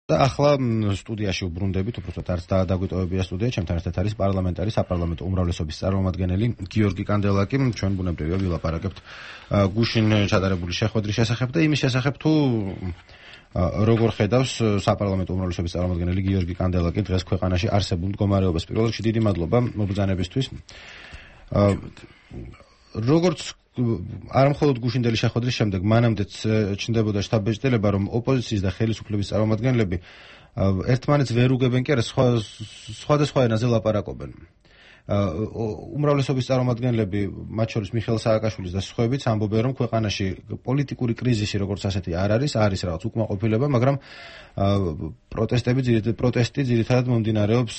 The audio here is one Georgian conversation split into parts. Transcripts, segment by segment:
და ახლა სტუდიაში უბრუნდებით, უბრალოდ არც დაგვიტოვებია სტუდია, ჩემთან ერთად არის პარლამენტარი საპარლამენტო უმრავლესობის წარმომადგენელი გიორგი კანდელაკი. ჩვენ ბუნებრივია ვილაპარაკებთ გუშინ ჩატარებული შეხვედრის შესახებ და იმის შესახებ თუ როგორ ხედავს საპარლამენტო უმრავლესობის წარმომადგენელი გიორგი კანდელაკი დღეს ქვეყანაში არსებულ მდგომარეობას. პირველ რიგში დიდი მადლობა მობრძანებისთვის. როგორც არ მხოლოდ გუშინდელი შეხვედრის შემდეგ მანამდეც ჩნდებოდა შტაბ-ბეჭდელება, რომ ოპოზიციის და ხელისუფლების წარმომადგენლები ერთმანეთს ვერ უგებენ კი არა, სხვადასხვა ენაზე ლაპარაკობენ. უმრავლესობის წარმომადგენლები, მათ შორის მიხეილ სააკაშვილის და სხვაებიც ამბობენ, რომ ქვეყანაში პოლიტიკური კრიზისი როგორც ასეთი არ არის რაღაც უკმაყოფილება, მაგრამ პროტესტი ძირითადად მომდინარეობს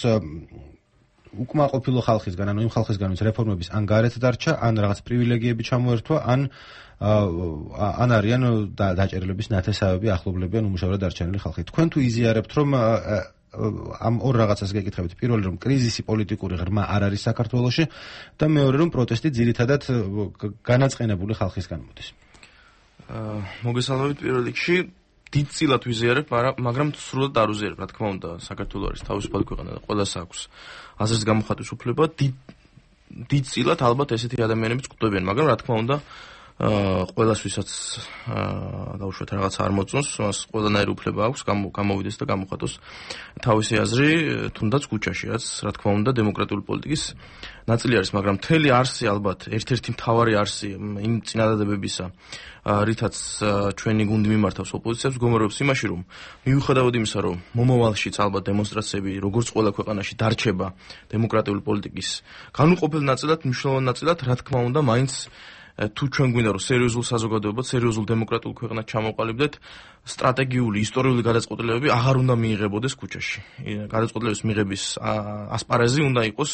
უკმაყოფილო ხალხისგან, ანუ იმ ხალხისგან, ვინც რეფორმების ან გარეთ დარჩა, ან რაღაც პრივილეგიები ჩამოერთვა, ან არიან დაჭერილების ნათესავები, ახლობლები ან უმუშევრად დარჩენილი ხალხი. თქვენ თუ იზიარებთ, რომ ამ ორ რაღაცას გეკითხებით. პირველი, რომ კრიზისი პოლიტიკური ღრმა არ არის საქართველოში და მეორე, რომ პროტესტი ძირითადად განაწყენებული ხალხისგან მოდის. მოგესალმებით პირველ რიგში. დიდწილად ვიზიარებ, მაგრამ სრულად არ ვიზიარებ, რა თქმა უნდა, საქართველო არის თავისუფალი ქვეყანა და ყველას აქვს აზრის გამოხატვის უფლება. დიდწილად ალბათ ესეთი ადამიანებიც გვხვდებიან, მაგრამ რა თქმა უნდა, ყველას ვისაც დაუშვათ რაღაც არ მოწონს, მას ყველანაირი უფლება აქვს გამოვიდეს და გამოხატოს თავისი აზრი, თუნდაც ქუჩაში, რაც რა თქმა უნდა დემოკრატიული პოლიტიკის ნაწილი არის, მაგრამ მთელი არსი ალბათ ერთ-ერთი მთავარი არსი იმ წინადადებებისა, რითაც ჩვენი გუნდი მიმართავს ოპოზიციას, მდგომარეობს იმაში, რომ მიუხედავად იმისა, რომ მომავალშიც ალბათ დემონსტრაციები როგორც ყველა ქვეყანაში დარჩება დემოკრატიული პოლიტიკის განუყოფელ ნაწილად, მნიშვნელოვან ნაწილად, რა თქმა უნდა, მაინც თუ ჩვენ გვინდა რომ სერიოზულ საზოგადოებად, სერიოზულ დემოკრატიულ ქვეყნად ჩამოყალიბდეთ, სტრატეგიული, ისტორიული გადაწყვეტილებები აღარ უნდა მიიღებოდეს ქუჩაში. გადაწყვეტილების მიღების ასპარეზი უნდა იყოს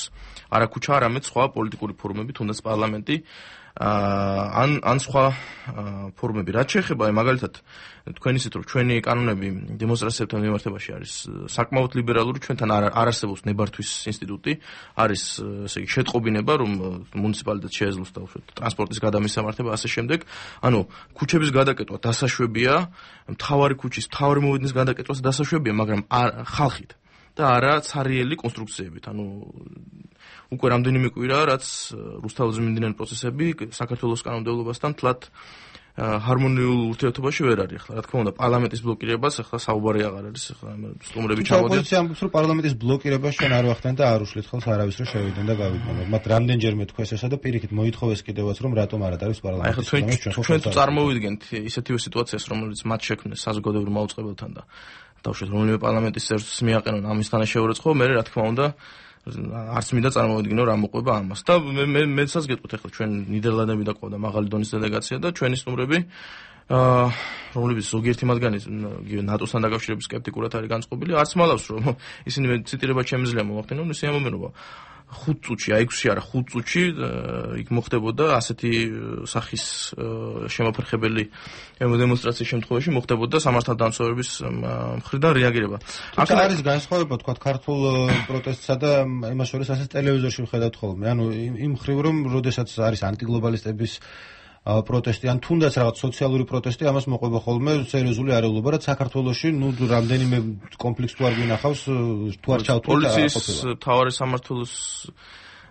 არა ქუჩა, არამედ სხვა პოლიტიკური ფორუმები, თუნდაც პარლამენტი, ან სხვა ფორუმები. რაც შეეხება მაგალითად თქვენ ისეთ რომ ჩვენი კანონები დემონსტრაციებთან მიმართებაში არის საკმაოდ ლიბერალური, ჩვენთან არ არსებობს ნებართვის ინსტიტუტი, არის ესე იგი შეტყობინება, რომ მუნიციპალიტეტს შეეძლოს ტრანსპორტის გადამისამართება ასე შემდეგ. ანუ ქუჩების გადაკეტვა დასაშვებია, მთავარი ქუჩის, მთავარი მოვიდნენ გადაკეტვას დასაშვებია, მაგრამ ხალხით და არა ცარიელი კონსტრუქციებით. ანუ უკვე რამდენიმე კვირა, რაც რუსთაველზე მიმდინარე პროცესები საქართველოს კანონმდებლობასთან თლად ჰარმონიულ ურთიერთობაში ვერ არის. ახლა რა თქმა უნდა, პარლამენტის ბლოკირებას ახლა საუბარი აღარ არის, ახლა სტუმრები ჩამოდიან. ოპოზიცია ამბობს, რომ პარლამენტის ბლოკირებას ჩვენ არ ვახდენ და არ უშლით ხელს არავის რომ შევიდნენ და გავიდნენ. მათ რამდენჯერმე თქვეს ესა და პირიქით მოითხოვეს კიდევაც, რომ რატომ არ არის პარლამენტის. ახლა ჩვენ თუ წარმოვიდგენთ ისეთივე სიტუაციას, რომელიც მათ შექმნეს საზოგადოებრივ მაუწყებელთან და დავუშვათ რომელიმე პარლამენტის წევრს მიაყენონ ამის თანაშეურეცხობა, მე რა თქმა უნდა არც მინდა წარმოვიდგინო რა მოყვება ამას. და მეცაც გეტყვით ახლა ჩვენ ნიდერლანდები და ყავდა მაღალი დონის დელეგაცია და ჩვენი სტუმრები, რომლებიც ზოგიერთი მათგანი ნატოსთან დაკავშირების სკეპტიკურად არის განწყობილი, არც მალავს რომ ისინი ციტირება შემიძლია მომახდინონ, ისე ამბობენ 5 წუთში, აი 6-ში არა 5 წუთში იქ მოხდებოდა ასეთი სახის შემოფერხებელი დემონსტრაციის შემთხვევაში მოხდებოდა სამართალდამცავების მხრიდან რეაგირება. აქ არის განსხვავება თქვა ქართულ პროტესტსა და იმას შორის ასეთ ტელევიზორში ვხედავთ ხოლმე. ანუ იმ მხრივ რომ როდესაც არის ანტიგლობალისტების პროტესტი ან თუნდაც რაღაც სოციალური პროტესტი, ამას მოყვება ხოლმე სერიოზული არეულობა, რაც საქართველოში რამდენიმე კონფლიქტს თუ არ გვინახავს, თუ არ ჩავთვლით პოლიციის მთავარი სამმართველოს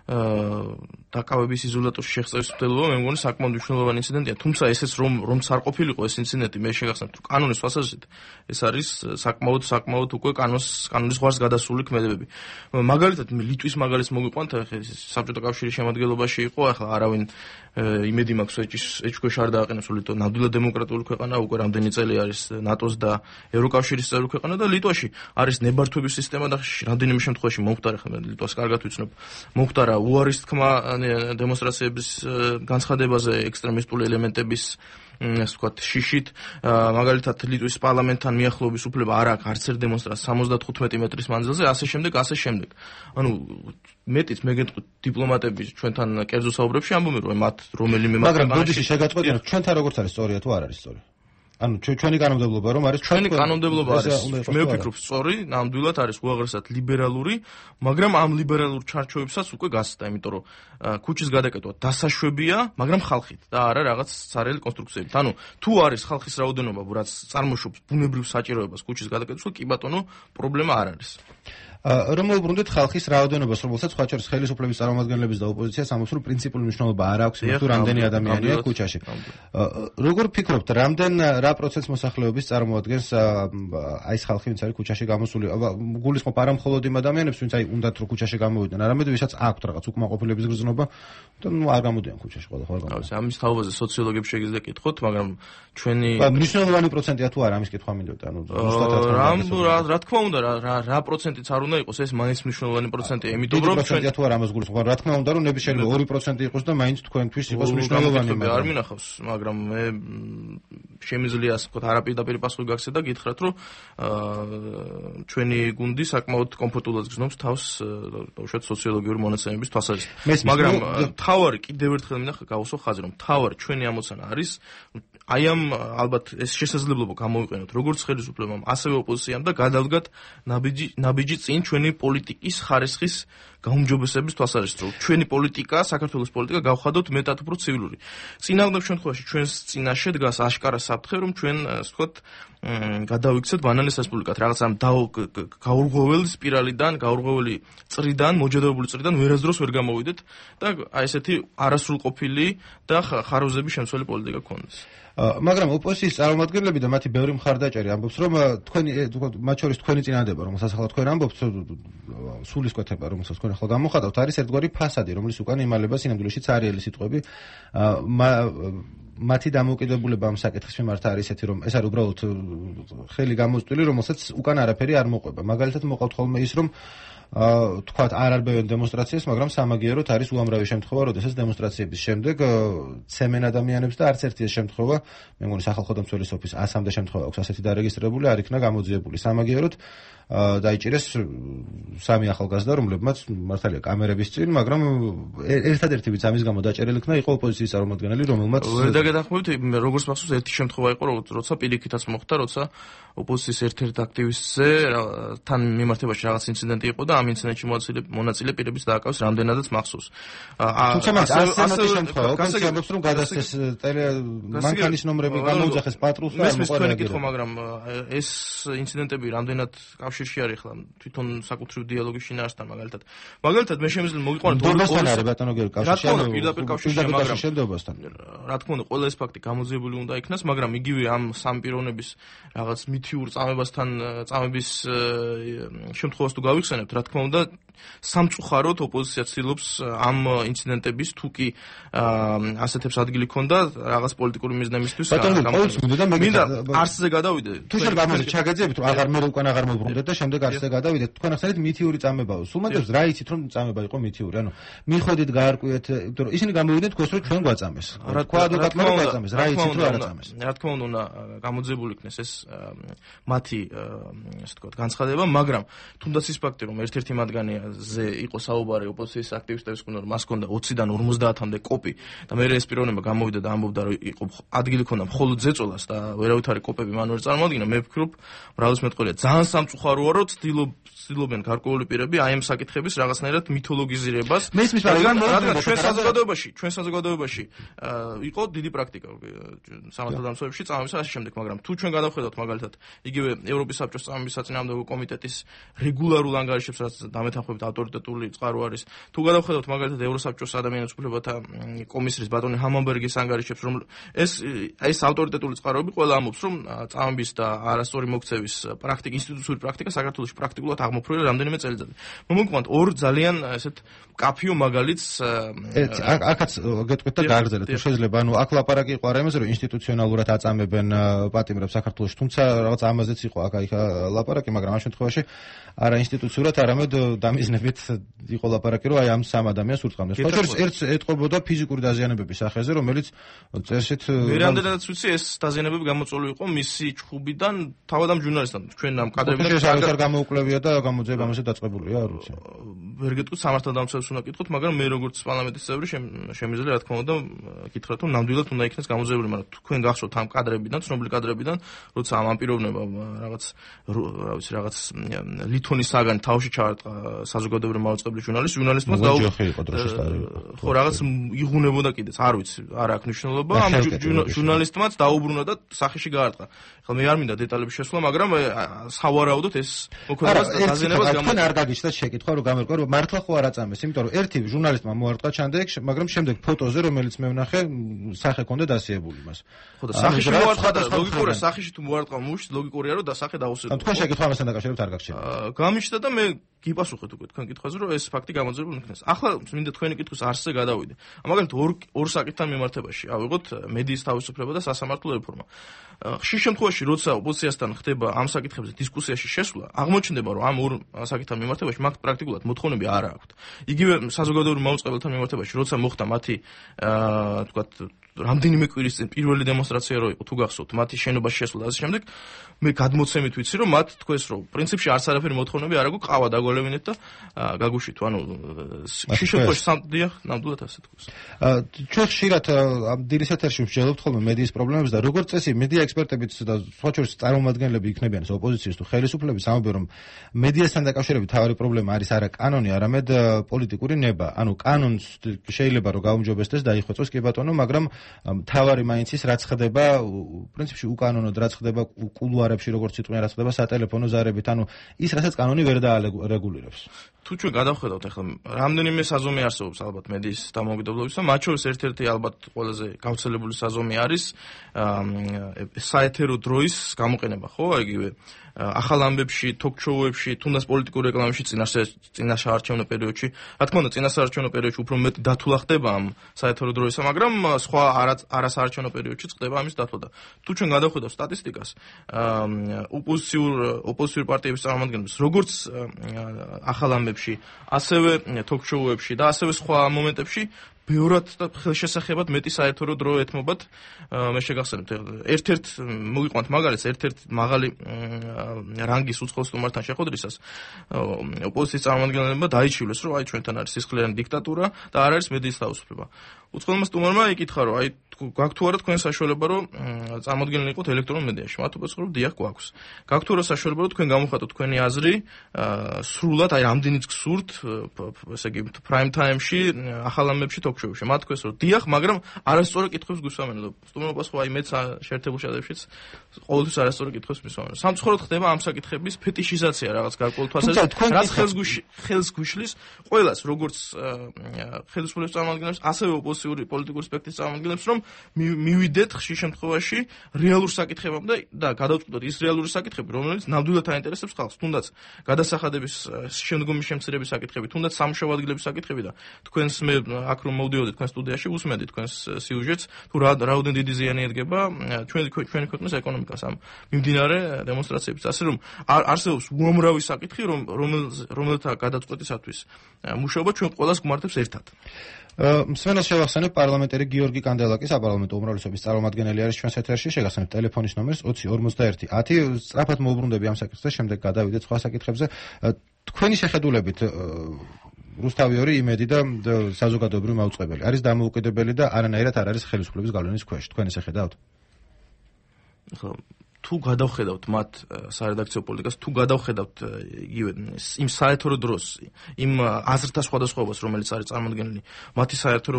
დაკავების იზოლატორში შეღწევის მცდელობა მე მგონი საკმაოდ მნიშვნელოვანი ინციდენტია. თუმცა ესეც რომც არ ყოფილიყო ეს ინციდენტი, მე შეგახსენებთ რომ კანონის თვალსაზრისით ეს არის საკმაოდ უკვე კანონის ზღვარს გადასული ქმედებები. მაგალითად ლიტვის მაგალითს მოგიყვანთ, საბჭოთა კავშირის შემადგენლობაში იყო, ახლა არავინ იმედი მაქვს ეჭქვეშ არ დააყენებს, ლიტვა ნამდვილად დემოკრატიული ქვეყანა, უკვე რამდენი წელი არის ნატოს და ევროკავშირის წევრი ქვეყანა და ლიტვაში არის ნებართვების სისტემა და რამდენიმე შემთხვევაში მომხდარა, ხა ლიტვას კარგად ვიცნობ, მომხდარა უარის თქმა დემონსტრაციების განცხადებაზე ექსტრემისტული ელემენტების ასე ვთქვათ შიშით, მაგალითად ლიტვის პარლამენტთან მიახლოების უფლება არ აქვს არც ერთ დემონსტრაციას 75 მეტრის მანძილზე, ასე შემდეგ. ანუ მეტიც მე გეტყვით დიპლომატები ჩვენთან კერძო საუბრებში ამბობენ რომ მათ რომელიმე მაგრამ ბოდიში შეგაწყვეტინოთ ჩვენთან როგორც არის სწორია თუ არ არის სწორი. ანუ ჩვენი კანონმდებლობა რომ არის ჩვენი კანონმდებლობა არის მე ვფიქრობ სწორი, ნამდვილად არის უაღრესად ლიბერალური, მაგრამ ამ ლიბერალურ ჩარჩოებსაც უკვე გასცდა, იმიტომ რომ ქუჩის გადაკეთვა დასაშვებია, მაგრამ ხალხით და არა რაღაც ცარიელი კონსტრუქციებით. ანუ თუ არის ხალხის რაოდენობა, რაც წარმოშობს ბუნებრივ საჭიროებას ქუჩის გადაკეთებას, კი ბატონო, პრობლემა არ არის. რომ მოვუბრუნდეთ ხალხის რაოდენობას, რომელსაც სხვა შორის ხელისუფლების წარმომადგენლების და ოპოზიციას ამბობს, რომ პრინციპული მნიშვნელობა არ აქვს, თუ რამდენი ადამიანია ქუჩაში. როგორ ფიქრობთ, რა პროცენტს მოსახლეობის წარმოადგენს აი ეს ხალხი, ვინც არის ქუჩაში გამოსული? გულისხმობ არა მხოლოდ იმ ადამიანებს, ვინც აი უნდათ რომ ქუჩაში გამოვიდნენ, არამედ ვისაც აქვთ რაღაც უკმაყოფილების გრძნობა და არ გამოდიან ქუჩაში ყველაფერ გამოდიან. ამის თაობაზე სოციოლოგებს შეგიძლია კითხოთ, მაგრამ ჩვენი მნიშვნელოვანი პროცენტია თუ არა ამის კითხვა მინდოდა, ანუ ზუსტად რა თქმა უნდა, რა პროცენტიც არ უნდა იყოს, ეს მაინც მნიშვნელოვანი პროცენტია, იმიტომ რომ ჩვენ თუ არა ამას გულისხმობ, რა თქმა უნდა, რომ ნების შეიძლება 2% იყოს და მაინც თქვენთვის იყოს მნიშვნელოვანი. არ მინახავს, მაგრამ მე შემიძლია ასე ვთქვათ, არაპირდაპირ პასუხი გაქცე და გითხრათ, რომ ჩვენი გუნდი საკმაოდ კომფორტულად გრძნობს თავს ბავშვად სოციოლოგიური მონაცემების თვალსაზრისით. მაგრამ თავარი კიდევ ერთხელ მინახა გავუსვა ხაზი, რომ თავარი ჩვენი ამოცანა არის აი ამ ალბათ ეს შესაძლებლობა გამოვიყენოთ როგორც ხელისუფლებამ, ასევე ოპოზიციამ და გადავდგათ ნაბიჯი წინ ჩვენი პოლიტიკის ხარისხის გაუმჯობესების თვალსაზრისით, რომ ჩვენი პოლიტიკა, საქართველოს პოლიტიკა გავხადოთ მეტად უფრო ცივილური. წინააღმდეგ შემთხვევაში ჩვენს წინაშე დგას აშკარა საფრთხე, რომ ჩვენ ასე ვთქვათ გადავიქცეთ ბანანის რესპუბლიკად, რაღაც ამ გაურღვეველი სპირალიდან, გაურღვეველი წრიდან, მოჯადებული წრიდან ვერასდროს ვერ გამოვიდეთ და აი ესეთი არასრულყოფილი და ხარვზების შემცველი პოლიტიკა გქონდეს. მაგრამ ოპოზიციის წარმომადგენლები და მათი ბევრი მხარდაჭერი ამბობს, რომ თქვენი მათ შორის თქვენი წინადადება, რომელსაც ახლა თქვენ ამბობთ, სულისკვეთება, რომელსაც თქვენ ახლა გამოხატავთ, არის ერთგვარი ფასადი, რომლის უკან იმალება სინამდვილეში ცარიელი სიტყვები. მათი დამოუკიდებლობა ამ საკითხის მიმართ არის ესეთი, რომ ეს არის უბრალოდ ხელი გამოწვეული, რომელსაც უკან არაფერი არ მოყვება. მაგალითად მოყავთ ხოლმე ის, რომ თქვათ არ არბევენ დემონსტრაციას, მაგრამ სამაგიეროდ არის უამრავი შემთხვევა, როდესაც დემონსტრაციების შემდეგ ცემენ ადამიანებს და არც ერთი ეს შემთხვევა, მე მგონი სახალხო დამცველის ოფისს 100-მდე შემთხვევა აქვს ასეთი დარეგისტრირებული, არ იქნა გამოძიებული. სამაგიეროდ დაიჭირეს 3 ახალგაზრდა, რომლებმაც მართალია კამერების წინ, მაგრამ ერთადერთი ვინც ამის გამო დაჭერილი იქნა, იყო ოპოზიციის წარმომადგენელი, რომელმაც ვერ დაგეთანხმებით, როგორც მახსოვს ერთი შემთხვევა იყო, როცა პირიქითაც მოხდა, როცა ოპოზიციის ერთ-ერთ აქტივისტზე თან მიმართებაში რაღაც ინციდენტი იყო და ამ ინციდენტში მონაწილე პირების დააკავეს რამდენადაც მახსოვს. თუმცა მას ასეთი შემთხვევა, ოპოზიცია ამბობს, რომ გადასცეს მანქანის ნომრები, გამოუძახეს პატრულს და არ მოყოლია. მაგრამ ეს ინციდენტები რამდენად კავშირში არის ხლა თვითონ საკუთრივ დიალოგის შინაარსთან მაგალითად მე შემიძლია მოგიყვანოთ დონბასთან არის ბატონო გერი კავშირში ანუ პირდაპირ კავშირში მაგრამ შენდობასთან რა თქმა უნდა ყველა ეს ფაქტი გამოძიებული უნდა იქნას მაგრამ იგივე ამ სამ პიროვნების რაღაც მითიურ წამების შემთხვევას თუ გავიხსენებთ რა თქმა უნდა სამწუხაროდ ოპოზიცია ცდილობს ამ ინციდენტების თუ კი ასეთებს ადგილი ქონდა რაღაც პოლიტიკური მიზნებისთვის მინდა არსზე გადავიდე თუ შენ გამოდი ჩაგეძებით რომ აღარ მე უკან აღარ მოbrunდეთ და შემდეგ არსზე გადავიდეთ თქვენ ახსენეთ მითიური წამებაო სულ მაგას რა იცით რომ წამება იყო მითიური ანუ მიხვედით გაარკვიეთ იმიტომ რომ ისინი გამოვიდნენ თქვენს რომ ჩვენ გვაწამეს თქვა ადვოკატმა რომ გვაწამეს რა იცით რომ არ აწამეს რა თქმა უნდა გამოძიებული იქნეს ეს მათი ასე ვთქვათ განცხადება მაგრამ თუნდაც ის ფაქტი რომ ერთ-ერთი მათგანზე იყო საუბარი ოპოზიციის აქტივისტების კუნა რომ მას ჰქონდა 20-დან 50-მდე კოპი და მე ეს პიროვნება გამოვიდა და ამბობდა რომ იყო ადგილი ქონდა მხოლოდ ზეწოლას და ვერავითარი კოპები მან ვერ წარმოადგინა მე ვფიქრობ მრავალმეტყველია ძალიან სამწუხაროა რომ ცდილობენ გარკვეული პირები აი ამ საკითხების რაღაცნაირად მითოლოგიზირებას მე ისმის მაგრამ ჩვენ საზოგადოებაში იყო დიდი პრაქტიკა სამართალდამცავებში წამების ასე შემდეგ მაგრამ თუ ჩვენ გადავხედავთ მაგალითად იგივე ევროპის საბჭოს წამების საწინააღმდეგო კომიტეტის რეგულარულ ანგარიშებს რაც დამეთანხმებით ავტორიტეტული წყარო არის თუ გადავხედავთ მაგალითად ევროსაბჭოს ადამიანის უფლებათა კომისრის ბატონი ჰამონბერგის ანგარიშებს რომ ეს ავტორიტეტული წყაროები ყველა ამბობს რომ წამების და არასწორი მოქცევის პრაქტიკა ინსტიტუციური პრაქტიკა საქართველოში პრაქტიკულად აღმოფროია რამდენიმე წელიწადი. მომგვიყვანთ ორ ძალიან ესეთ კაფიო მაგალითს აქაც გეტყვით და გააგრძელეთ თუ შეიძლება ანუ აქ ლაპარაკი იყო არა იმაზე რომ ინსტიტუციონალურად აწამებენ პატიმრებს საქართველოში თუმცა რაღაც ამაზეც იყო აქ ლაპარაკი მაგრამ ამ შემთხვევაში არა ინსტიტუციურად არამედ დამიზნებით იყო ლაპარაკი რომ აი ამ სამ ადამიანს ურწყავდნენ. სხვაშორის ერთს ეტყობოდა ფიზიკური დაზიანებების სახეზე რომელიც წესით მე რამდენადაც ვიცი ეს დაზიანებები გამოწვეული იყო მისი ჩხუბიდან თავად ამ ჟურნალისტთან ჩვენ ამ კადრებიდან არ გამოუკლებია და გამოძიება ამაზე დაწყებულია, არ ვიცი. ვერ გეტყვით სამართალდამცველს უნდა კითხოთ, მაგრამ მე როგორც პარლამენტის წევრი შემიძლია რა თქმა უნდა კითხრათ, რომ ნამდვილად უნდა იქნეს გამოძიებული, მაგრამ თქვენ გახსოვთ ამ კადრებიდან, ცნობილი კადრებიდან, როცა ამ პიროვნება რაღაც ლითონის საგანი თავში ჩაარტყა საზოგადოებრივ მაუწყებლის ჟურნალისტმა ხო რაღაც იღუნებოდა კიდეც, არ ვიცი, არ აქვს მნიშვნელობა, ამ ჟურნალისტმაც დაუბრუნა და სახეში გაარტყა. ხა მე არ მინდა დეტალებში შესვლა, მაგრამ სავარაუდოდ ეს მოქმედებას დაზიანებას თქვენ არ გაგიჩნდათ შეკითხვა, რომ გამერკვა, რომ მართლა ხო არ აწამეს, იმიტომ რომ ერთი ჟურნალისტმა მოარტყა ჩანდეკ, მაგრამ შემდეგ ფოტოზე, რომელიც მე ვნახე, სახე ქონდა დასიებული მას. ხო და სახეში მოარტყა და ლოგიკურია, სახეში თუ მოარტყა მუშ, ლოგიკურია, რომ და სახე დაუსრულებია. თქვენ შეკითხვა ამასთან დაკავშირებით არ გაგჩნდა. გამიჩნდა და მე გიპასუხეთ უკვე თქვენ კითხვაზე, რომ ეს ფაქტი გამოძიებული იქნეს. ახლა მინდა თქვენი კითხვის არსზე გადავიდე. მაგალითად ორ საკითხთან მიმართებაში ავიღოთ მედიის თავისუფლება და სასამართლო რეფორმა. ხშირ შემთხვევაში, როცა ოპოზიციასთან ხდება ამ საკითხებზე დისკუსიაში შესვლა, აღმოჩნდება, რომ ამ ორ საკითხთან მიმართებაში მათ პრაქტიკულად მოთხოვნები არ აქვთ. იგივე საზოგადოებრივ მაუწყებელთან მიმართებაში, როცა მოხდა მათი თქვათ რამდენიმე კვირის წინ პირველი დემონსტრაცია რო იყო, თუ გახსოვთ, მათი შენობაში შესვლა და ასე შემდეგ, მე გადმოცემით ვიცი, რომ მათ თქვეს, რომ პრინციპში არც არაფერი მოთხოვნები არ აქვს, ყავა დაგვალევინეთ და გაგუშვით, ანუ შიშოთოში სამდიახ, ნამდვილად ასე თქვეს. ჩვენ ხშირად ამ დილის ეთერში ვსჯელობთ ხოლმე მედიის პრობლემებს და როგორც წესი, მედია ექსპერტებიც და სხვა შორის წარმომადგენლები იქნებიან ოპოზიციის თუ ხელისუფლების, ამბობენ, რომ მედიასთან დაკავშირებით თავარი პრობლემა არის არა კანონი, არამედ პოლიტიკური ნება. ანუ კანონს შეიძლება რომ გაუმჯობესდეს და დაიხვეწოს კი ბატონო, მაგრამ თავარი მაინც ის რაც ხდება, პრინციპში უკანონოდ რაც ხდება კულუარებში, როგორც იტყვიან, რაც ხდება სატელეფონო ზარებით, ანუ ის რასაც კანონი ვერ დაარეგულირებს. თუ ჩვენ გადავხედავთ ახლა რამდენიმე საზომი არსებობს ალბათ მედიის დამოუკიდებლობის და მათ შორის ერთ-ერთი ალბათ ყველაზე გავრცელებული საზომი არის საეთერო დროის გამოყენება, ხო? იგივე ახალ ამბებში, თოქ-შოუებში, თუნდაც პოლიტიკურ რეკლამებში წინაშაარჩევნო პერიოდში, რა თქმა უნდა, წინასაარჩევნო პერიოდში უფრო მეტი დათვლა ხდება ამ საეთერო დროისა, მაგრამ სხვა არასაარჩევნო პერიოდში ხდება ამის დათვლა და თუ ჩვენ გადავხედავთ სტატისტიკას, ოპოზიციურ პარტიების წარმომადგენლებს, როგორც ახალ ამბებში, ასევე თოქ-შოუებში და ასევე სხვა მომენტებში ბევრად და ხელშესახებად მეტი საერთო დრო ეთმობათ. მე შეგახსენებთ ერთ-ერთ მოგიყვანთ მაგალითს, ერთ-ერთ მაღალი რანგის უცხოელ სტუმართან შეხვედრისას ოპოზიციის წარმომადგენლებმა დაიჩივლეს, რომ აი ჩვენთან არის სისხლიანი დიქტატურა და არ არის მედიის თავისუფლება. უცხოელმა სტუმარმა იკითხა, რომ აი გაქვთ თუ არა თქვენ საშუალება, რომ წარმოადგენლნი იყოთ ელექტრონულ მედიაში. მათ უპასუხა, რომ დიახ, გვაქვს. გაქვთ თუ არა საშუალება, რომ თქვენ გამოვხატოთ თქვენი აზრი სრულად, აი რამდენიც გსურთ, ესე იგი prime time-ში, ახალ ამბებში, თოქ-შოუში. მათ თქვეს, რომ დიახ, მაგრამ არასწორი კითხვებს გვისვამენ. სტუმარმა უპასუხა, აი მეც შეერთებულ შეტევებშიც ყოველთვის არასწორი კითხვებს მისვამენ. სამწუხაროდ ხდება ამ საკითხების ფეტიშიზაცია რაღაც გარკვეულ თვალსაზრისით, რაც ხელს გვიშლის ყველას, როგორც ხელისუფლების წარმომადგენლებს, ასევე ოპოზიციური პოლიტიკური სპექტრის წარმომადგენლებს, რომ მივიდეთ ხშირ შემთხვევაში რეალურ საკითხებამდე და გადავწყვიტოთ ის რეალური საკითხები, რომელიც ნამდვილად აინტერესებს ხალხს, თუნდაც გადასახადების შემდგომი შემცირების საკითხები, თუნდაც სამუშაო ადგილების საკითხები და თქვენს მე აქ რომ მოვდიოდი თქვენ სტუდიაში, უსმენდი თქვენს სიუჟეტს, თუ რაოდენ დიდი ზიანი ედგება ჩვენი ქვეყნის ეკონომიკას ამ მიმდინარე დემონსტრაციების. ასე რომ არსებობს უამრავი საკითხი, რომელთა გადაწყვეტისათვის მუშაობა ჩვენ ყველას გვმართებს ერთად. მსმენელს შევახსენებ, პარლამენტერი გიორგი კანდელაკი, საპარლამენტო უმრავლესობის წარმომადგენელი არის ჩვენს ეთერში. შეგახსენებ ტელეფონის ნომერს 20 51 10. სწრაფად მოუბრუნდები ამ საკითხზე, შემდეგ გადავიდეთ სხვა საკითხებზე. თქვენი შეხედულებით რუსთავი ორი, იმედი და საზოგადოებრივი მაუწყებელი არის დამოუკიდებელი და არანაირად არ არის ხელისუფლების გავლენის ქვეშ. თქვენ ესე ხედავთ? თუ გადავხედავთ მათ სარედაქციო პოლიტიკას, თუ გადავხედავთ იგივე იმ საერთო დროს, იმ აზრთა სხვადასხვაობას, რომელიც არის წარმოქმნილი მათი საერთო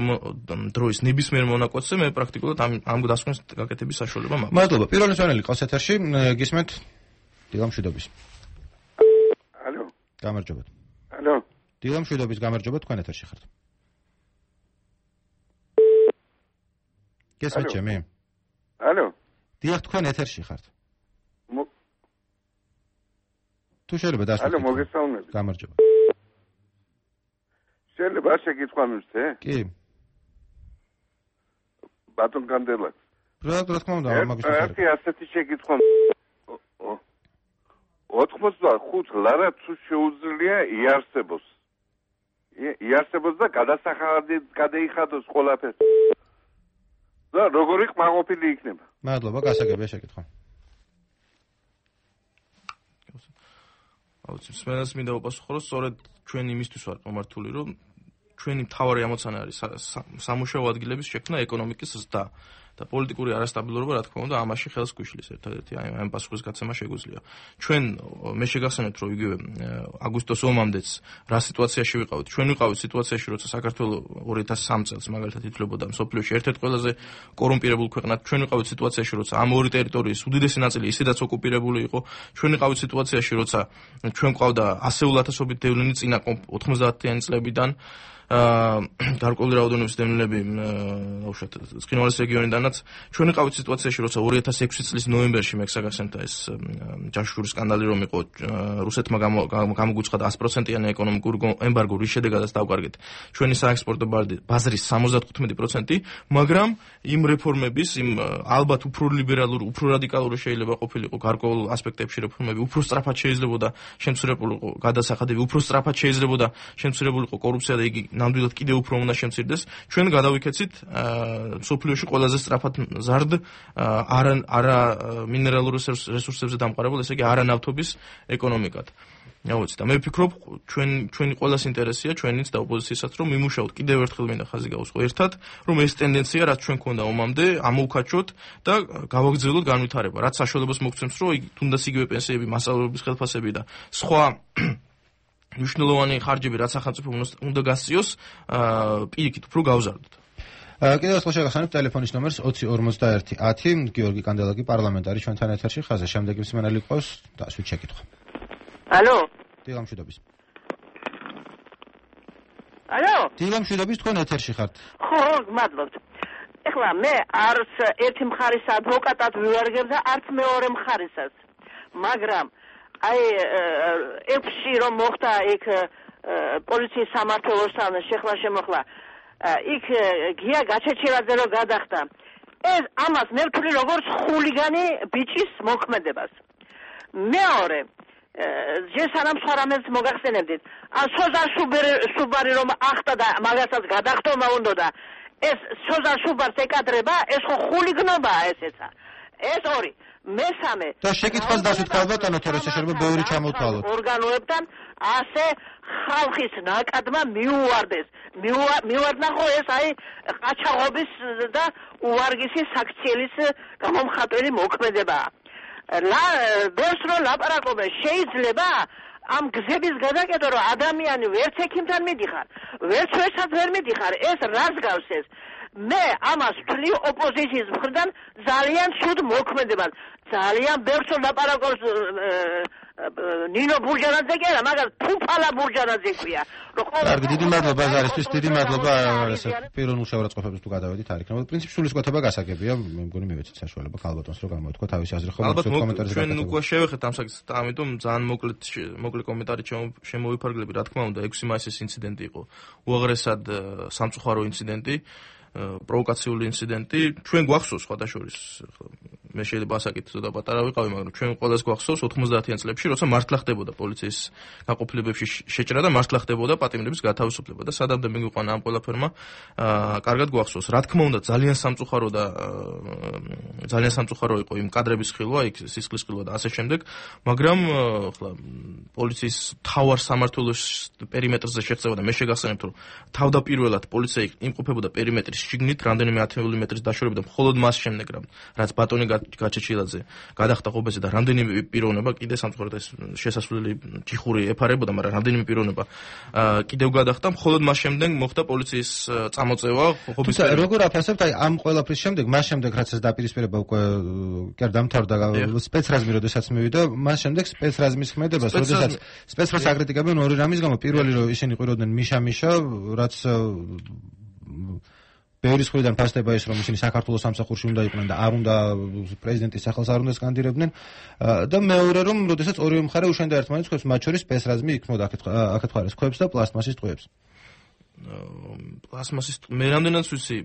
დროის ნებისმიერ მონაკვეთზე, მე პრაქტიკულად ამ დასკვნის გაკეთების საშუალება მაქვს. მადლობა. პირველი მშვენელი ყავს ეთერში, გისმენთ დილა მშვიდობის. ალო. გამარჯობათ. ალო. დილა მშვიდობის, გამარჯობა, თქვენ ეთერში ხართ. გესმით ჩემი? ალო. დიახ, თქვენ ეთერში ხართ. თუ შეიძლება დასვით. ალო, მოგესალმებით. გამარჯობა. შეიძლება შეკითხვა მისცე? კი. ბატონ კანდელაკი. რა თქმა უნდა, მაგის შესახებ. ერთი ასეთი შეკითხვა. 85 ლარა თუ შეუძლია იარსებოს. იარსებოს და გადასახადით გადაიხადოს ყველაფერს. და როგორი ყმაყოფილი იქნება? მადლობა, გასაგებია შეკითხვა. აუცილებლად სმენელს მინდა უპასუხო, რომ სწორედ ჩვენ იმისთვის ვარ მომართული, რომ ჩვენი მთავარი ამოცანა არის სამუშაო ადგილების შექმნა ეკონომიკის ზრდა და პოლიტიკური არასტაბილურობა, რა თქმა უნდა, ამაში ხელს გვიშლის ერთადერთი ამ პასუხის გაცემა შეგვიძლია. ჩვენ მე შეგახსენებთ, რომ იგივე აგვისტოს ომამდეც რა სიტუაციაში ვიყავით. ჩვენ ვიყავით სიტუაციაში, როცა საქართველოს 2003 წელს მაგალითად ითვლებოდა მსოფლიოში ერთ-ერთ ყველაზე კორუმპირებულ ქვეყნად. ჩვენ ვიყავით სიტუაციაში, როცა ამ ორი ტერიტორიის უდიდესი ნაწილი ისედაც ოკუპირებული იყო. ჩვენ ვიყავით სიტუაციაში, როცა ჩვენ ყავდა ასეულათასობით დევნილი წინა 90-იანი წლებიდან გარკვეული რაოდენობის დევნილები უშუალოდ ცხინვალის რეგიონიდანაც ჩვენ ვიყავით სიტუაციაში, როცა 2006 წლის ნოემბერში მეგსაგახსენებთ ეს ჯაშურის სკანდალი რომ იყო რუსეთმა გამოგვიცხადა 100%-იანი ეკონომიკური ემბარგო, რის შედეგადაც დავკარგეთ ჩვენი საექსპორტო ბაზრის 75%, მაგრამ იმ რეფორმების, იმ ალბათ უფრო ლიბერალური, უფრო რადიკალური შეიძლება ყოფილიყო გარკვეულ ასპექტებში რეფორმები, უფრო სწრაფად შეიძლებოდა შემცირებულიყო გადასახადები, უფრო სწრაფად შეიძლებოდა შემცირებულიყო კორუფცია და იგი ნამდვილად კიდევ უფრო უნდა შემცირდეს. ჩვენ გადავიქეცით სოფლიოში ყველაზე სწრაფად ზარდ არა მინერალური რესურსებზე დამყარებულ, ესე იგი არა ნავთობის ეკონომიკად. აუცილებლად და მე ვფიქრობ, ჩვენი ყველას ინტერესია, ჩვენიც და ოპოზიცияსაც, რომ მიმუშაოთ კიდევ ერთხელ მინდა ხაზი გავუსხო ერთად, რომ ეს ტენდენცია, რაც ჩვენ ქონდა ომამდე, ამოუქაჩოთ და გავაგრძელოთ განვითარება. რაც საშუალებას მოგცემს, რომ თუნდაც იგივე პენსიები, მასწავლებლების ხელფასები და სხვა მნიშვნელოვანი ხარჯები, რაც სახელმწიფო უნდა გასწიოს, პირიქით უფრო გავზარდოთ. კიდევ ერთხელ შეგახსენებთ ტელეფონის ნომერს 20 51 10. გიორგი კანდელაკი, პარლამენტარი, ჩვენთან ეთერში ხაზზე. შემდეგი მსმენელი ყავს და სვით შეკითხვა. ალო. დილამშვიდობის. ალო. დილამშვიდობის, თქვენ ეთერში ხართ. ხო, გმადლობთ. ეხლა მე არც ერთი მხარის ადვოკატად ვივარგებ და არც მეორე მხარისაც. მაგრამ აი ეფში რომ მოხდა იქ პოლიციის სამმართველოსთან შეხლა-შემოხლა იქ გია გაჩეჩილაძე რომ გადახდა ეს ამას მე ვთვლი როგორც ხულიგანი ბიჭის მოქმედებას. მეორე ჯესანამ სხვა რამეს მოგახსენებდით. სოზარ სუბარი რომ ახტა და მაგასაც გადახტომა უნდა ეს სოზარ სუბარს ეკადრება, ეს ხო ხულიგნობაა ესეცა. ეს ორი. მესამე და შეკითხვას დასვით ქალბატონო თორეს შეიძლება ბევრი ჩამოვთვალოთ. ორგანოებთან ასე ხალხის ნაკადმა მიუვარდეს. მიუვარდა ხო ეს აი ყაჩაღობის და უვარგისის საქციელის გამომხატველი მოქმედებაა. ბევრს რო ლაპარაკობენ, შეიძლება ამ გზების გადაკეთება, რომ ადამიანი ვერც ექიმთან მიდიხარ, ვერც ვერცად ვერ მიდიხარ, ეს რას გავს ეს? მე ამას ვთვლი ოპოზიციის მხრიდან ძალიან ცუდ მოქმედებას. ძალიან ბევრს ლაპარაკობს ნინო ბურჯანაძე კი არა, მაგრამ ფუფალა ბურჯანაძე ქვია. კარგი, დიდი მადლობა ზარისთვის, დიდი მადლობა პიროვნულ შეურაცხყოფებს თუ გადავედით არ იქნება. პრინციპში სულისკვეთება გასაგებია, მე მგონი მივეცეთ საშუალება ქალბატონს რომ გამოეთქვა თავისი აზრი ხო კომენტარზე. ჩვენ უკვე შევეხეთ ამ საკითხს, ამიტომ ძალიან მოკლე კომენტარი შემოვიფარგლები. რა თქმა უნდა, 6 მაისის ინციდენტი იყო უაღრესად სამწუხარო ინციდენტი. პროვოკაციული ინციდენტი. ჩვენ გვახსოვს სხვადასხვა მე შეიძლება ასაკით და პატარა ვიყავი, მაგრამ ჩვენ ყველას გვახსოვს 90-იან წლებში, როცა მართლა ხდებოდა პოლიციის გაყოფილებებში შეჭრა და მართლა ხდებოდა პატიმრების გათავისუფლება და სადამდე მიგვიყვანა ამ ყველაფერმა, კარგად გვახსოვს. რა თქმა უნდა, ძალიან სამწუხარო იყო იმ კადრების ხილვა, იქ სისხლის ხილვა და ასე შემდეგ, მაგრამ ხლა პოლიციის მთავარ სამმართველოს პერიმეტრზე შეღწევა და მე შეგახსენებთ, რომ თავდაპირველად პოლიცია იმყოფებოდა პერიმეტრის შიგნით, რამდენიმე 10 მეტრის დაშორებით და მხოლოდ მას შემდეგ, რაც ბატონი გაჩეჩილაძე გადახდა ღობეზე და რამდენიმე პიროვნება კიდე სამწუხაროდ ეს შესასვლელი ჯიხური ეფარებოდა, მაგრამ რამდენიმე პიროვნება კიდევ გადახდა, მხოლოდ მას შემდეგ მოხდა პოლიციის წამოწევა ღობის. როგორ აფასებთ აი ამ ყველაფრის შემდეგ, მას შემდეგ რაც ეს დაპირისპირება უკვე კი დამთავრდა სპეცრაზმი როდესაც მივიდა, მას შემდეგ სპეცრაზმის ქმედებას, როდესაც სპეცრაზს აკრიტიკებენ ორი რამის გამო. პირველი რომ ისინი ყიროდნენ მიშა, რაც ბევრის მხრიდან ფასდება ის, რომ ისინი საქართველოს სამსახურში უნდა იყვნენ და არ უნდა პრეზიდენტის სახელს არ უნდა სკანდირებდნენ და მეორე რომ როდესაც ორივე მხარე უშენდა ერთმანეთს ქვებს, მათ შორის სპეცრაზმი იქმნოდა აქეთ მხარეს ქვებს და პლასტმასის ტყვეებს. პლასმასის მე რამდენად ვიცი,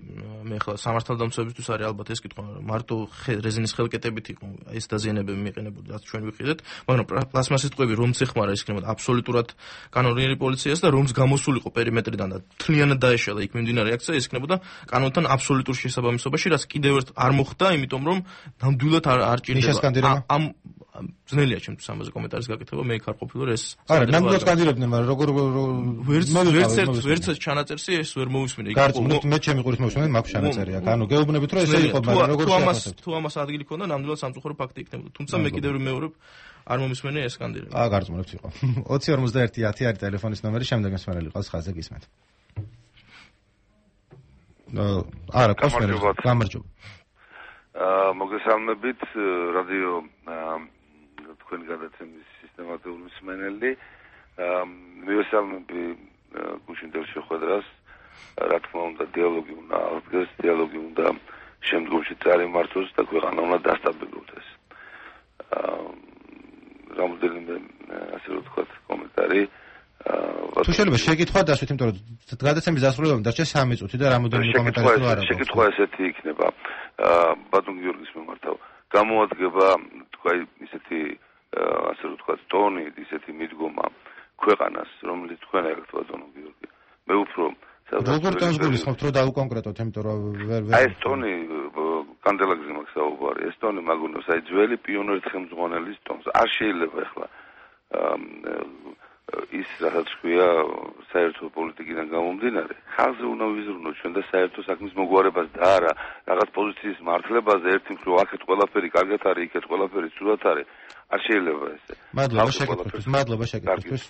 მე ხლა სამართალდამცავებისთვის არის ალბათ ეს კითხვა, მარტო რეზინის ხელკეტებით იყო ეს დაზიანებები მიყენებოდა, რაც ჩვენ ვიყიდეთ, მაგრამ პლასმასის ტყვეები რომც ეხმარა ის იქნებოდა აბსოლუტურად კანონიერი პოლიციას და რომც გამოსულიყო პერიმეტრიდან და თლიანად დაეშალა იქ მიმდინარე აქცია, ის იქნებოდა კანონთან აბსოლუტურ შესაბამისობაში, რაც კიდევ ერთ არ მოხდა, იმიტომ რომ ნამდვილად არ ჭირდება ძნელია ჩემთვის ამაზე კომენტარის გაკეთება, მე იქ არ ყოფილი ვარ ეს. არა, ნამდვილად კანდიდატებდნენ, მაგრამ როგორ ვერც ჩანაწერსი ეს ვერ მოვისმინე. მე ჩემი ყურის მოვისმინე, მაქვს ჩანაწერი აქ. ანუ გეუბნებით რომ ესე იყო, მაგრამ როგორ თუ ამას ადგილი ქონდა, ნამდვილად სამწუხარო ფაქტი იქნებოდა. თუმცა მე კიდევ მეორებ არ მომისმენია ეს კანდიდატი. გარწმუნებთ იყო. 2051 არის ტელეფონის ნომერი, შემდეგ მსმენელი ყავს ხაზზე გისმენთ. არა, გამარჯობა. მოგესალმებით რადიო თქვენი გადაცემის სისტემატიური მსმენელი. მივესალმები გუშინდელ შეხვედრას. რა თქმა უნდა, დიალოგი უნდა აღდგეს, დიალოგი უნდა შემდგომში წარიმართოს და ქვეყანა უნდა დასტაბილურდეს. რამოდენიმე ასე რომ ვთქვათ კომენტარი თუ შეიძლება შეკითხვა დასვით, იმიტომ რომ გადაცემის დასრულებამდე დარჩა 3 წუთი და რამოდენიმე კომენტარი თუ არა. შეკითხვა ესეთი იქნება. ბატონ გიორგის მიმართავ. გამოადგება თქვა ისეთი ასე რომ ვთქვათ ტონი, ისეთი მიდგომა ქვეყანას, რომელიც თქვენ აქვთ ბატონო გიორგი. მე უფრო როგორ ტონს გულისხმობთ რომ დაუკონკრეტოთ, იმიტომ რომ ვერ აი ეს ტონი კანდელაგზე მაქვს საუბარი. ეს ტონი მაგუნოს აი ძველი პიონერის ხელმძღვანელის ტონს. არ შეიძლება ახლა ის რასაც ქვია საერთო პოლიტიკიდან გამომდინარე, ხალხზე უნდა ვიზრუნოთ ჩვენ და საერთო საქმის მოგვარებას და არა რაღაც პოზიციის მართლებაზე ერთი მხრივ აქეთ ყველაფერი კარგად არის, იქეთ ყველაფერი ცუდად არის. არ შეიძლება ესე. მადლობა შეკითხვისთვის.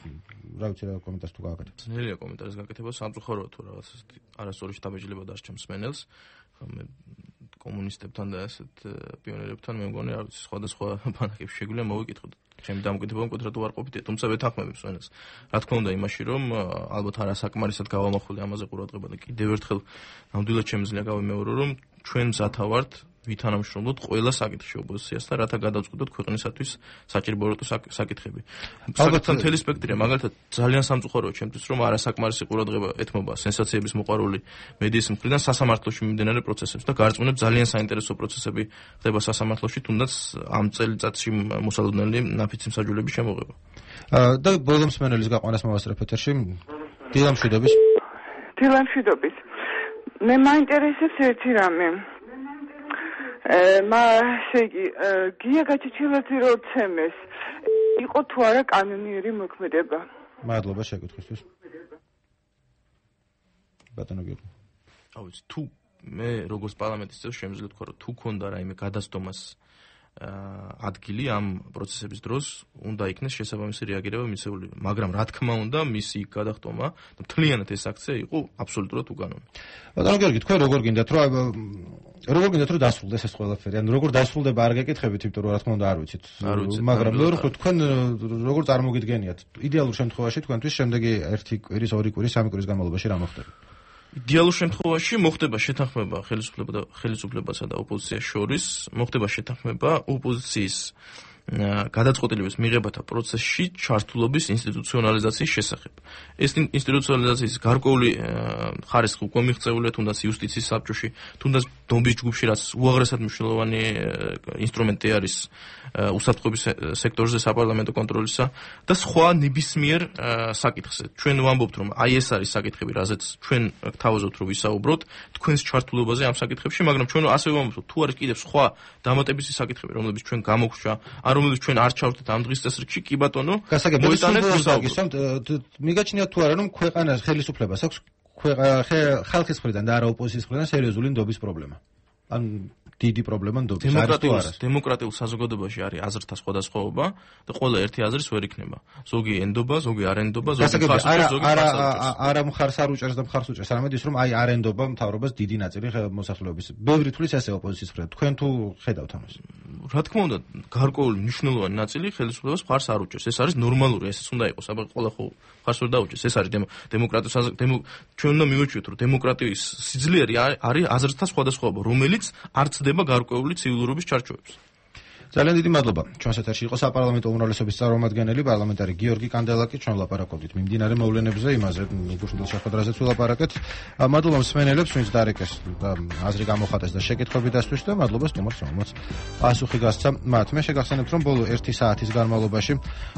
რა ვიცი რა კომენტარს თუ გააკეთებ. ძნელია კომენტარის გაკეთება, სამწუხაროა თუ რაღაც არასწორი შთაბეჭდილება დასჭამ მსმენელს. მე კომუნისტებთან და ასეთ პიონერებთან მე მგონი რა ვიცი სხვადასხვა ბანაკებში შეგვიძლია მოვიკითხოთ. ჩემი დამოკიდებულება მკვეთრად უარყოფითია, თუმცა ვეთანხმები მსმენელს. რა თქმა უნდა იმაში, რომ ალბათ არასაკმარისად გავამახვილე ამაზე ყურადღება და კიდევ ერთხელ ნამდვილად შემიძლია გავიმეორო, რომ ჩვენ მზათა ვართ ვითანამშრომლოთ ყველა საკითხში ოპოზიციასთან, რათა გადავწყვიტოთ ქვეყნისათვის საჭირო საკითხები. საკითხთა მთელი სპექტრია, მაგალითად ძალიან სამწუხაროა ჩემთვის, რომ არასაკმარისი ყურადღება ეთმობა სენსაციების მოყვარული მედიის მხრიდან სასამართლოში მიმდინარე პროცესებს და გარწმუნებ ძალიან საინტერესო პროცესები ხდება სასამართლოში, თუნდაც ამ წელიწადში მოსალოდნელი ნაფიცი მსაჯულების შემოღება. და ბოლო მსმენელის გაყვანას მოვასწრებ ეთერში. დილამშვიდობის. მე მაინტერესებს ერთი რამე. შეგი გია გაჩეჩილაძე რო ცემეს იყო თუ არა კანონიერი მოქმედება. მადლობა შეკითხვისთვის. ბატონო გიორგი. თუ მე როგორც პარლამენტის წევრი შემიძლია ვთქვა, რომ თუ ქონდა რაიმე გადასტომას ადგილი ამ პროცესების დროს, უნდა იქნეს შესაბამისი რეაგირება მიცეული, მაგრამ რა თქმა უნდა, მისი გადახტომა და მთლიანად ეს აქცია იყო აბსოლუტურად უკანონო. ბატონო გიორგი, თქვენ როგორ გინდათ რომ დასრულდეს ეს ყველაფერი? ანუ როგორ დასრულდება არ გეკითხებით, იმიტომ რომ რა თქმა უნდა არ ვიცით. მაგრამ მეორე ხო თქვენ როგორ წარმოგიდგენიათ? იდეალურ შემთხვევაში თქვენთვის შემდეგი 1 კვირის, 2 კვირის, 3 კვირის განმავლობაში რა მოხდება? იდეალურ შემთხვევაში მოხდება შეთანხმება ხელისუფლებასა და ოპოზიციას შორის, მოხდება შეთანხმება ოპოზიციის გადაწყვეტილების მიღებათა პროცესში ჩართულობის ინსტიტუციონალიზაციის შესახებ. ეს ინსტიტუციონალიზაციის გარკვეული ხარისხი უკვე მიღწეულია, თუნდაც იუსტიციის საბჭოში, თუნდაც დომბის ჯგუფში, რაც უაღრესად მნიშვნელოვანი ინსტრუმენტი არის უსაფრთხოების სექტორზე საპარლამენტო კონტროლისა და სხვა ნებისმიერ საკითხზე. ჩვენ ვამბობთ, რომ აი ეს არის საკითხები, რაზეც ჩვენ გთავაზობთ, რომ ვისაუბროთ თქვენს ჩართულობაზე ამ საკითხებში, მაგრამ ჩვენ ასე ვამბობთ, თუ არის კიდევ სხვა დამატებითი საკითხები, რომლებიც ჩვენ გამოგვშვა, რომელიც ჩვენ არ ჩავთვით ამ დღის წესრიგში, კი ბატონო, მოიტანეთ ვისაუბროთ. მიგაჩნიათ თუ არა, რომ ქვეყანას ხელისუფლებას აქვს ხალხის მხრიდან და არა ოპოზიციის მხრიდან სერიოზული ნდობის პრობლემა. ან დიდი პრობლემა ნდობის. დემოკრატიულ საზოგადოებაში არის აზრთა სხვადასხვაობა და ყველა ერთი აზრის ვერ იქნება. ზოგი ენდობა, ზოგი არ ენდობა, ზოგი მხარს უჭერს, ზოგი მხარს არ უჭერს. არა მხარს არ უჭერს და მხარს უჭერს, არამედ ის რომ აი არ ენდობა მთავრობას დიდი ნაწილი მოსახლეობის. ბევრი თვლის ესე ოპოზიციის მხრიდან. თქვენ თუ ხედავთ ამას? რა თქმა უნდა, გარკვეული მნიშვნელოვანი ნაწილი ხელისუფლებას მხარს არ უჭერს. ეს არის ნორმალური, ესეც უნდა იყოს, აბა ყველა ხო მხარს ვერ დაუჭერს. ეს არის დემოკრატიის ჩვენ უნდა მივაჩვიოთ, რომ დემოკრატიის სიძლიერე არის აზრთა სხვადასხვაობა, რომელიც არ ცდება გარკვეული ცივილურობის ჩარჩოებს. ძალიან დიდი მადლობა. ჩვენს ეთერში იყო საპარლამენტო უმრავლესობის წარმომადგენელი პარლამენტარი გიორგი კანდელაკი. ჩვენ ვლაპარაკობდით მიმდინარე მოვლენებზე, იმაზე გუშინდელ შეხვედრაზეც ვილაპარაკეთ. მადლობა მსმენელებს, ვინც დარეკეს და აზრი გამოხატეს და შეკითხვები დასვეს და მადლობა სტუმარს, რომელმაც პასუხი გასცა მათ. მე შეგახსენებთ, რომ ბოლო 1 საათის განმავლობაში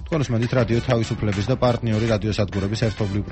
თქვენ უსმენთ რადიო თავისუფლების და პარტნიორი რადიოსადგურების ერთობლივ